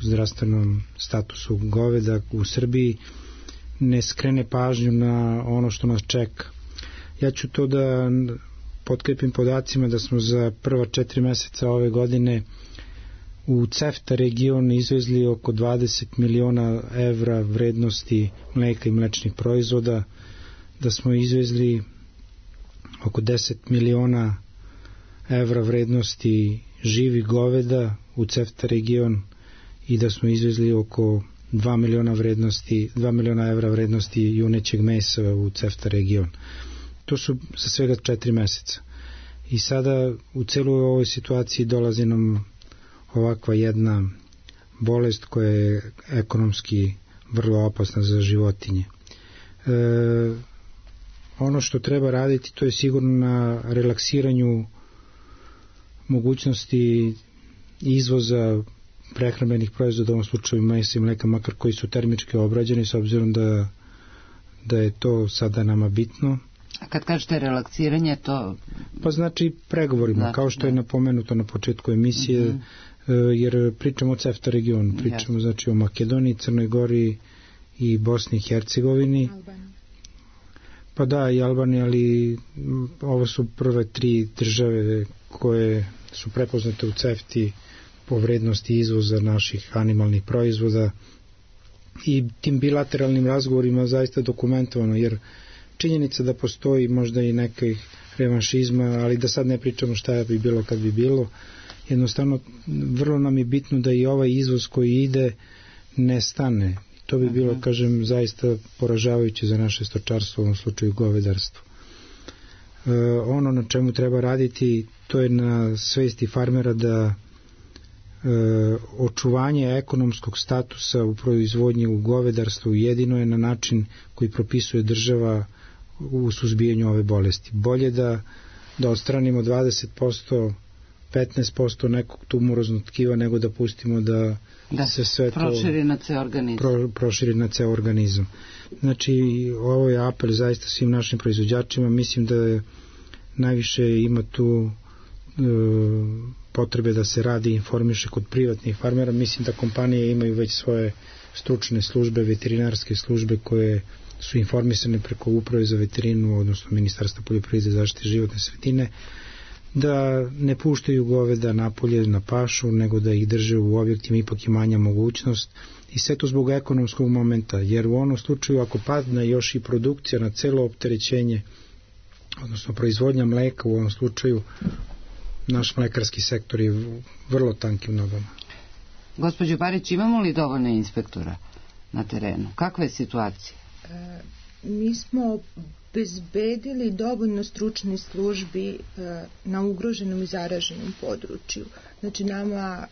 zdravstvenom statusu goveda u Srbiji ne skrene pažnju na ono što nas čeka. Ja ću to da potkrepim podacima da smo za prva 4 meseca ove godine u CEFTA region izvezli oko 20 miliona evra vrednosti mleka i mlečnih proizvoda, da smo izvezli oko 10 miliona evra vrednosti živih goveda u CEFTA region i da smo izvezli oko 2 miliona evra vrednosti junećeg mesa u CEFTA region. To su za svega 4 meseca. I sada u celoj ovoj situaciji dolazi nam ovakva jedna bolest koja je ekonomski vrlo opasna za životinje. Ono što treba raditi, to je sigurno na relaksiranju mogućnosti izvoza prehrambenih proizvoda, u ovom slučaju mesa i mleka, makar koji su termički obrađeni, s obzirom da da je to sada nama bitno. A kad kažete relaksiranje, to... Pa znači pregovorima, kao što je napomenuto na početku emisije, jer pričamo o CEFTA regionu, pričamo znači o Makedoniji, Crnoj Gori i Bosni i Hercegovini. Pa da, i Albanija, ali ovo su prve 3 države koje su prepoznate u CEFTA-i po vrednosti izvoza naših animalnih proizvoda i tim bilateralnim razgovorima zaista dokumentovano, jer činjenica da postoji možda i nekih revanšizma, ali da sad ne pričamo šta bi bilo kad bi bilo, jednostavno vrlo nam je bitno da i ovaj izvoz koji ide ne stane. To bi bilo, kažem, zaista poražavajuće za naše stočarstvo, u ovom slučaju govedarstvo. Ono na čemu treba raditi, to je na svesti farmera da očuvanje ekonomskog statusa u proizvodnji u govedarstvu jedino je na način koji propisuje država u suzbijanju ove bolesti. Bolje da odstranimo 20%, 15% nekog tumoroznog tkiva nego da pustimo da se sve to proširi na ceo organizam. Znači, ovo je apel zaista svim našim proizvođačima. Mislim da najviše ima tu potrebe da se radi i informiše kod privatnih farmera. Mislim da kompanije imaju već svoje stručne službe, veterinarske službe koje su informisane preko Uprave za veterinu, odnosno Ministarstva poljoprivrede i zaštite životne sredine, da ne puštaju goveda napolje na pašu, nego da ih drže u objektima, ipak je manja mogućnost, i sve to zbog ekonomskog momenta, jer u onom slučaju ako padne još i produkcija na celo opterećenje, odnosno proizvodnja mleka, u ovom slučaju naš mlekarski sektor je vrlo tankim nogama. Gospođo Barić, imamo li dovoljno inspektora na terenu? Kakva je situacija? Mi smo bezbedili dovoljno stručnih službi na ugroženom i zaraženom području. Znači, nama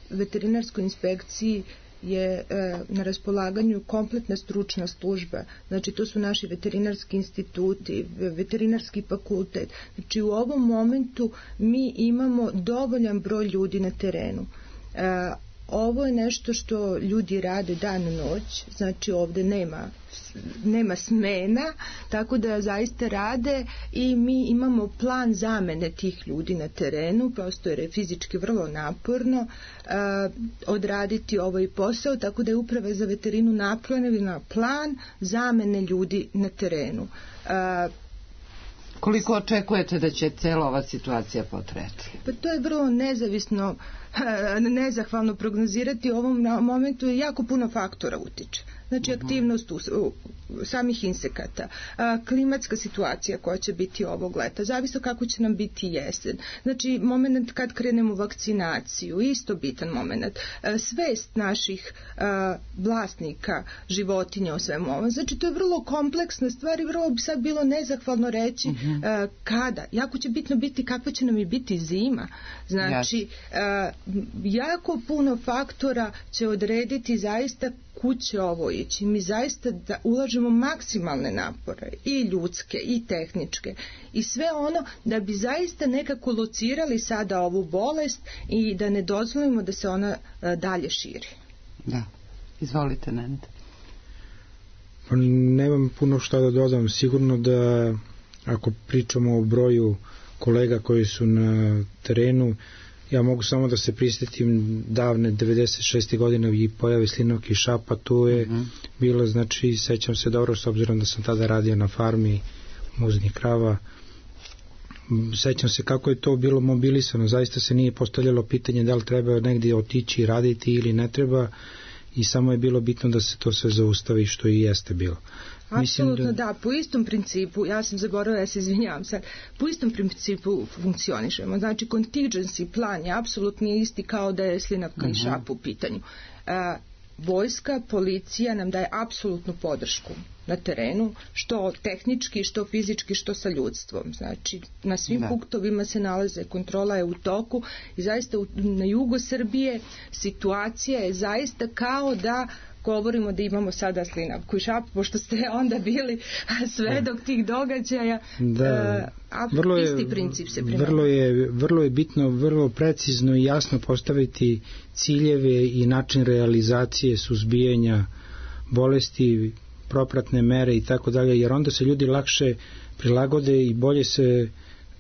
veterinarskoj inspekciji je na raspolaganju kompletna stručna služba. Znači, to su naši veterinarski instituti, veterinarski fakultet. Znači, u ovom momentu mi imamo dovoljan broj ljudi na terenu. Ovo je nešto što ljudi rade dan i noć, znači ovde nema smena, tako da zaista rade i mi imamo plan zamene tih ljudi na terenu, prosto jer je fizički vrlo naporno odraditi ovaj posao, tako da je Uprava za veterinu napravila plan zamene ljudi na terenu. Koliko očekujete da će cela ova situacija potrajati? Pa to je vrlo nezahvalno prognozirati. U ovom momentu jako puno faktora utiče. Znači, aktivnost samih insekata, klimatska situacija koja će biti ovog leta, zavisno kako će nam biti jesen. Znači, moment kad krenemo vakcinaciju, isto bitan moment. Svest naših vlasnika životinja o svemu ovom. Znači, to je vrlo kompleksna stvar i vrlo bi sad bilo nezahvalno reći kada. Jako će bitno biti kakva će nam i biti zima. Znači, jako puno faktora će odrediti zaista kud će ovo ići. Mi zaista da ulažemo maksimalne napore, i ljudske i tehničke, i sve ono da bi zaista nekako locirali sada ovu bolest i da ne dozvolimo da se ona dalje širi. Da, izvolite, Nenad. Nemam puno šta da dodam. Sigurno da ako pričamo o broju kolega koji su na terenu, ja mogu samo da se prisjetim davne 96. godine i pojave slinavke i šapa, tu je bilo, znači, sećam se dobro, s obzirom da sam tada radio na farmi muznih krava, sećam se kako je to bilo mobilisano, zaista se nije postavljalo pitanje da li treba negdje otići i raditi ili ne treba, i samo je bilo bitno da se to sve zaustavi, što i jeste bilo. Apsolutno da, po istom principu, ja sam zaboravila, ja se izvinjavam sad, po istom principu funkcionišemo. Znači, contingency plan je apsolutno isti kao da je slinavka i šap u pitanju. Vojska, policija nam daje apsolutnu podršku na terenu, što tehnički, što fizički, što sa ljudstvom. Znači, na svim punktovima se nalaze, kontrola je u toku i zaista na jugu Srbije situacija je zaista kao da govorimo da imamo sada slinavku i šapu, pošto ste onda bili svedok tih događaja. Isti princip se primjenjuje. Vrlo je bitno, vrlo precizno i jasno postaviti ciljeve i način realizacije suzbijanja bolesti, propratne mere i tako dalje, jer onda se ljudi lakše prilagode i bolje se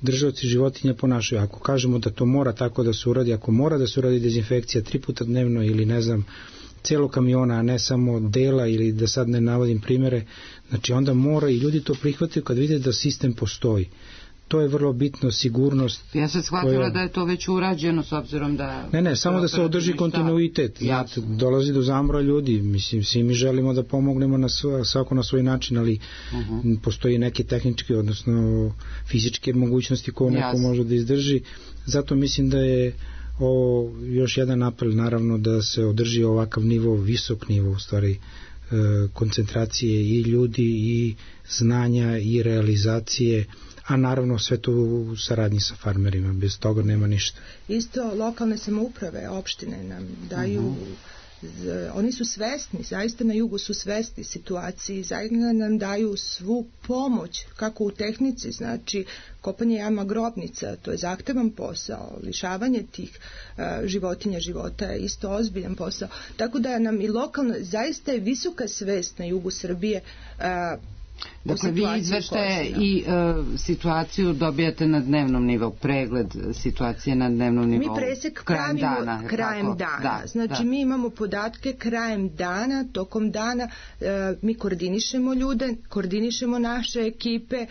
držaoci životinja ponašaju. Ako kažemo da to mora tako da se uradi, ako mora da se uradi dezinfekcija 3 puta dnevno ili ne znam, celog kamiona, a ne samo dela ili da sad ne navodim primere, znači onda mora i ljudi to prihvataju kad vide da sistem postoji. To je vrlo bitno, sigurnost. Ja sam shvatila da je to već urađeno s obzirom da... Ne, samo da se održi kontinuitet. Dolazi do zamora ljudi. Mislim, svi mi želimo da pomognemo svako na svoj način, ali postoji neke tehničke, odnosno fizičke mogućnosti koje neko može da izdrži. Zato mislim da je ovo još jedan apel, naravno, da se održi ovakav nivo, visok nivo, u stvari, koncentracije i ljudi i znanja i realizacije, a naravno sve to u saradnji sa farmerima, bez toga nema ništa. Isto lokalne samouprave, opštine nam daju, oni su svesni, zaista na jugu su svesni situaciji, zaista nam daju svu pomoć, kako u tehnici, znači kopanje jama grobnica, to je zahtevan posao, lišavanje tih životinja života je isto ozbiljan posao, tako da nam i lokalno, zaista je visoka svest na jugu Srbije. Dakle, vi izveštaje i situaciju dobijate na dnevnom nivou, pregled situacije na dnevnom nivou. Mi presek pravimo krajem dana. Znači, mi imamo podatke krajem dana, tokom dana mi koordinišemo ljude, koordinišemo naše ekipe,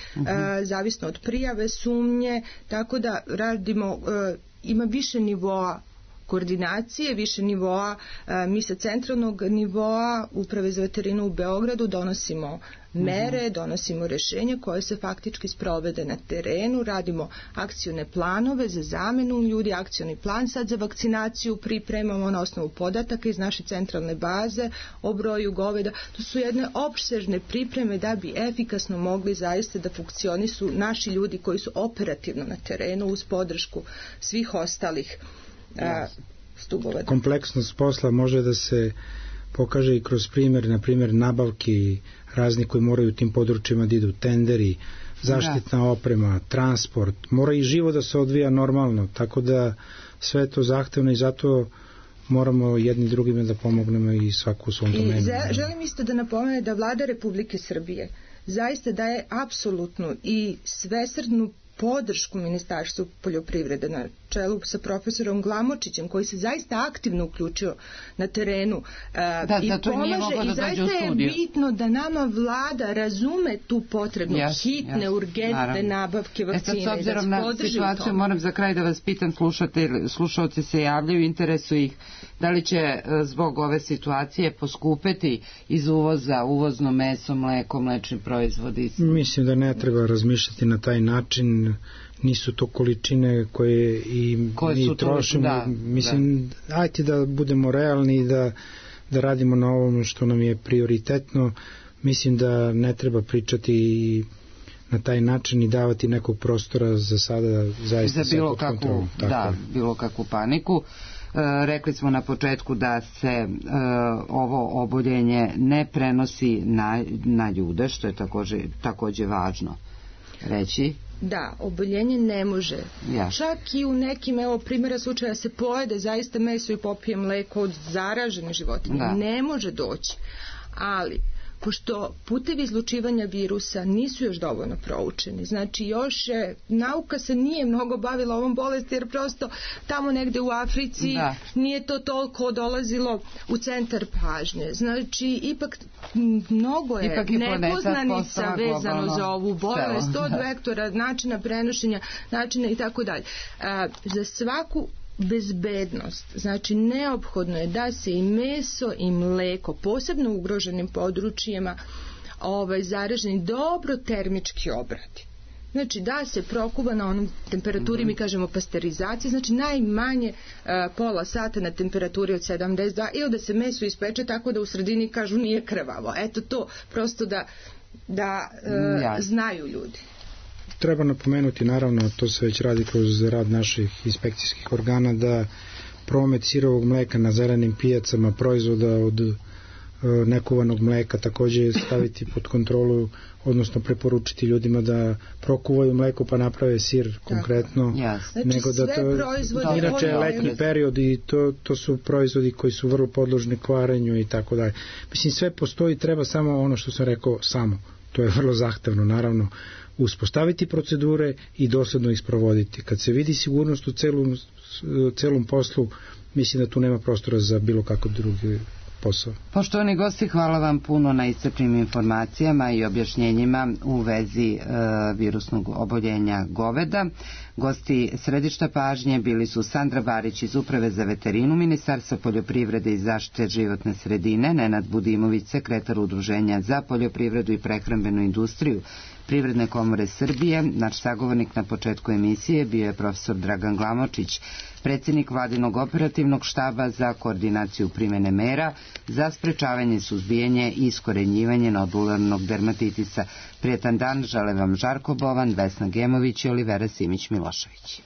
zavisno od prijave, sumnje, tako da radimo, ima više nivoa koordinacije, više nivoa, mi sa centralnog nivoa Uprave za veterinu u Beogradu donosimo mere, donosimo rešenja koje se faktički sprovede na terenu, radimo akcione planove za zamenu ljudi, akcioni plan sad za vakcinaciju pripremamo na osnovu podataka iz naše centralne baze o broju goveda. To su jedne opsežne pripreme da bi efikasno mogli zaista da funkcionišu naši ljudi koji su operativno na terenu uz podršku svih ostalih stubova. Kompleksnost posla može da se pokaže i kroz primjer, na primjer nabavki razni koji moraju u tim područjima da idu, tenderi, zaštitna oprema, transport, mora i živo da se odvija normalno, tako da sve je to zahtevno i zato moramo jedni drugima da pomognemo i svaku u svom domenu. Želim isto da napomenem da Vlada Republike Srbije zaista daje apsolutnu i svesrdnu podršku Ministarstvu poljoprivrede na čelu sa profesorom Glamočićem, koji se zaista aktivno uključio na terenu i pomaže, i zaista je bitno da nama vlada razume tu potrebnu hitne, urgentne nabavke vakcine. S obzirom na situaciju moram za kraj da vas pitam, slušalci se javljaju, interesuje ih da li će zbog ove situacije poskupeti iz uvoza, uvozno meso, mleko, mlečni proizvodi? Mislim da ne treba razmišljati na taj način, nisu to količine koje i mi trošimo. Mislim, ajte da budemo realni i da radimo na ovom što nam je prioritetno. Mislim da ne treba pričati na taj način i davati nekog prostora za sada zaista za bilo kakvu paniku. Rekli smo na početku da se ovo oboljenje ne prenosi na ljude, što je takođe važno reći. Da, oboljenje ne može. Čak i u nekim, primjera slučaja se pojede zaista meso i popije mleko od zaražene životinje. Ne može doći. Ali, pošto putevi izlučivanja virusa nisu još dovoljno proučeni, znači još nauka se nije mnogo bavila ovom bolesti, jer prosto tamo negde u Africi nije to toliko dolazilo u centar pažnje. Znači, ipak mnogo je nepoznanica vezano za ovu bolest, od vektora, načina prenošenja, načina i tako dalje. Za svaku bezbednost, znači neophodno je da se i meso i mleko, posebno u ugroženim područjima zaraženi, dobro termički obradi. Znači da se prokuva na onom temperaturi, mi kažemo pasterizacija, znači najmanje pola sata na temperaturi od 72, ili da se meso ispeče tako da u sredini kažu nije krvavo. Eto to, prosto da znaju ljudi. Treba napomenuti, naravno, to se već radi kroz rad naših inspekcijskih organa, da promet sirovog mleka na zelenim pijacama, proizvoda od nekovanog mleka takođe staviti pod kontrolu, odnosno preporučiti ljudima da prokuvaju mleko pa naprave sir konkretno, nego da to inače je letnji period i to su proizvodi koji su vrlo podložni kvarenju i tako dalje. Mislim, sve postoji, treba samo ono što sam rekao, to je vrlo zahtevno, naravno, uspostaviti procedure i dosledno ih sprovoditi. Kad se vidi sigurnost u celom poslu, mislim da tu nema prostora za bilo kakav drugi posao. Poštovani gosti, hvala vam puno na iscrpnim informacijama i objašnjenjima u vezi virusnog oboljenja goveda. Gosti središta pažnje bili su Sandra Barić iz Uprave za veterinu Ministarstva poljoprivrede i zaštite životne sredine, Nenad Budimović, sekretar Udruženja za poljoprivredu i prehrambenu industriju Privredne komore Srbije. Naš sagovornik na početku emisije bio je profesor Dragan Glamočić, predsjednik Vladinog operativnog štaba za koordinaciju primjene mera za sprečavanje, suzbijanje i iskorenjivanje nodularnog dermatitisa. Prijetan dan žele vam Žarko Bovan, Vesna Gemović i Olivera Simić-Milošević.